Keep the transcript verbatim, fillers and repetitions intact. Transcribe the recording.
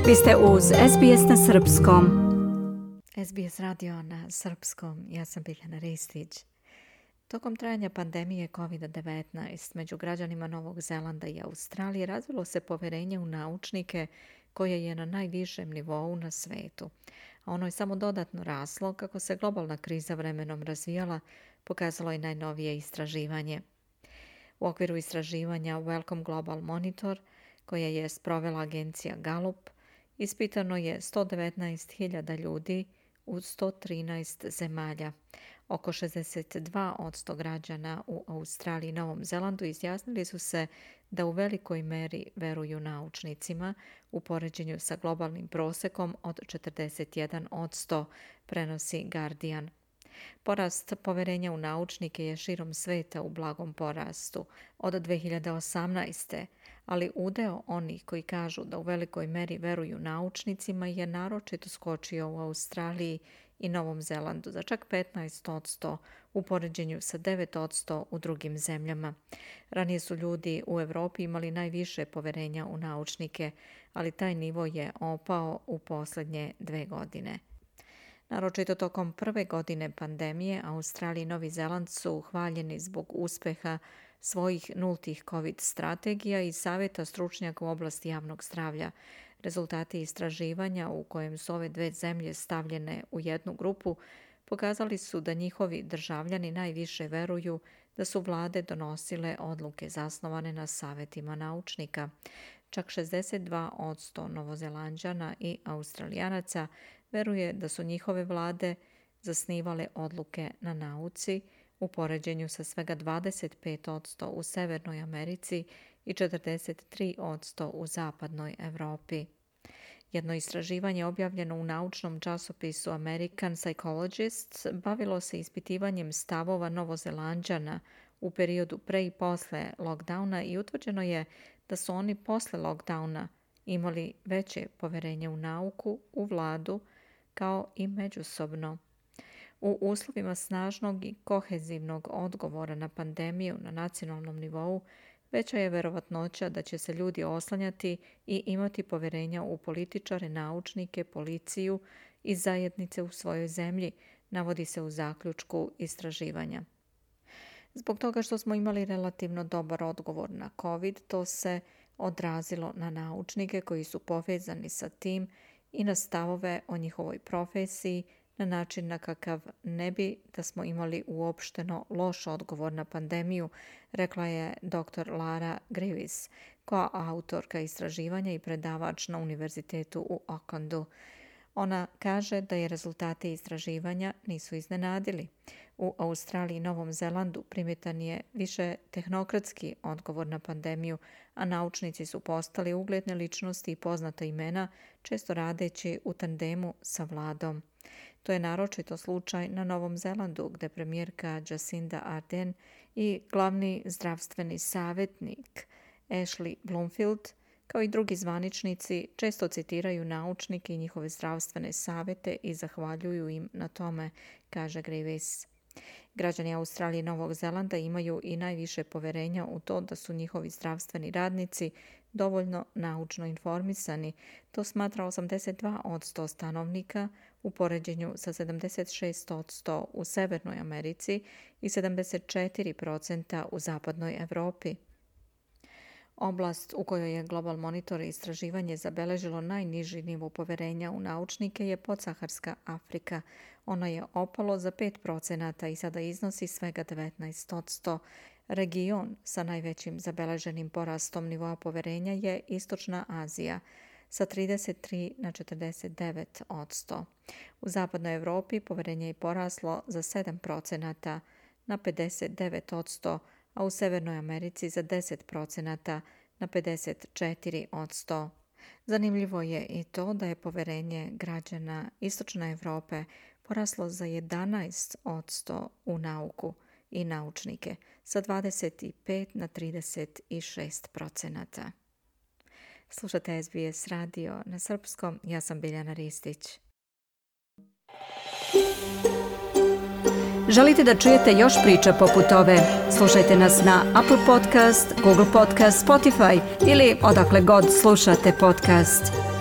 Vi ste uz S B S na srpskom. S B S radio na srpskom. Ja sam Biljana Ristić. Tokom trajanja pandemije kovid devetnaest među građanima Novog Zelanda i Australije razvilo se poverenje u naučnike koje je na najvišem nivou na svetu. A ono je samo dodatno raslo kako se globalna kriza vremenom razvijala, pokazalo je najnovije istraživanje. U okviru istraživanja Wellcome Global Monitor, koje je sprovela agencija Gallup, ispitano je sto devetnaest hiljada ljudi u sto trinaest zemalja. Oko šezdeset dva posto građana u Australiji i Novom Zelandu izjasnili su se da u velikoj meri veruju naučnicima u poređenju sa globalnim prosekom od četrdeset jedan posto, prenosi Guardian. Porast poverenja u naučnike je širom sveta u blagom porastu od dve hiljade osamnaeste. ali udeo onih koji kažu da u velikoj meri veruju naučnicima je naročito skočio u Australiji i Novom Zelandu za čak petnaest posto u poređenju sa devet posto u drugim zemljama. Ranije su ljudi u Evropi imali najviše poverenja u naučnike, ali taj nivo je opao u posljednje dve godine. Naročito tokom prve godine pandemije, Australija i Novi Zeland su hvaljeni zbog uspeha svojih nultih COVID strategija i savjeta stručnjaka u oblasti javnog zdravlja. Rezultati istraživanja u kojem su ove dve zemlje stavljene u jednu grupu pokazali su da njihovi državljani najviše veruju da su vlade donosile odluke zasnovane na savjetima naučnika. Čak šezdeset dva posto Novozelanđana i Australijanaca veruje da su njihove vlade zasnivale odluke na nauci, u poređenju sa svega dvadeset pet posto u Severnoj Americi i četrdeset tri posto u Zapadnoj Evropi. Jedno istraživanje objavljeno u naučnom časopisu American Psychologist bavilo se ispitivanjem stavova Novozelanđana u periodu pre i posle lockdowna i utvrđeno je da su oni posle lockdowna imali veće poverenje u nauku, u vladu, kao i međusobno. U uslovima snažnog i kohezivnog odgovora na pandemiju na nacionalnom nivou, veća je verovatnoća da će se ljudi oslanjati i imati poverenja u političare, naučnike, policiju i zajednice u svojoj zemlji, navodi se u zaključku istraživanja. Zbog toga što smo imali relativno dobar odgovor na COVID, to se odrazilo na naučnike koji su povezani sa tim i na stavove o njihovoj profesiji, na način na kakav ne bi da smo imali uopšteno loš odgovor na pandemiju, rekla je doktor Lara Grivis, koja autorka istraživanja i predavač na univerzitetu u Aucklandu. Ona kaže da je rezultate istraživanja nisu iznenadili. U Australiji i Novom Zelandu primjetan je više tehnokratski odgovor na pandemiju, a naučnici su postali ugledne ličnosti i poznata imena, često radeći u tandemu sa vladom. To je naročito slučaj na Novom Zelandu, gde premijerka Jacinda Ardern i glavni zdravstveni savjetnik Ashley Bloomfield, kao i drugi zvaničnici, često citiraju naučnike i njihove zdravstvene savjete i zahvaljuju im na tome, kaže Grivis. Građani Australije i Novog Zelanda imaju i najviše poverenja u to da su njihovi zdravstveni radnici dovoljno naučno informisani. To smatra osamdeset dva posto stanovnika u poređenju sa sedamdeset šest posto u Severnoj Americi i sedamdeset četiri posto u Zapadnoj Evropi. Oblast u kojoj je Global Monitor istraživanje zabeležilo najniži nivo poverenja u naučnike je podsaharska Afrika. Ono je opalo za pet posto i sada iznosi svega devetnaest posto. Region sa najvećim zabeleženim porastom nivoa poverenja je Istočna Azija sa trideset tri na četrdeset devet posto. U Zapadnoj Evropi poverenje je poraslo za sedam posto na pedeset devet posto, a u Severnoj Americi za deset posto na pedeset četiri posto. Zanimljivo je i to da je poverenje građana Istočne Evrope poraslo za jedanaest posto u nauku i naučnike, sa dvadeset pet na trideset šest posto. Slušate S B S radio na srpskom, ja sam Biljana Ristić. Želite da čujete još priča poput ove? Slušajte nas na Apple Podcast, Google Podcast, Spotify ili odakle god slušate podcast.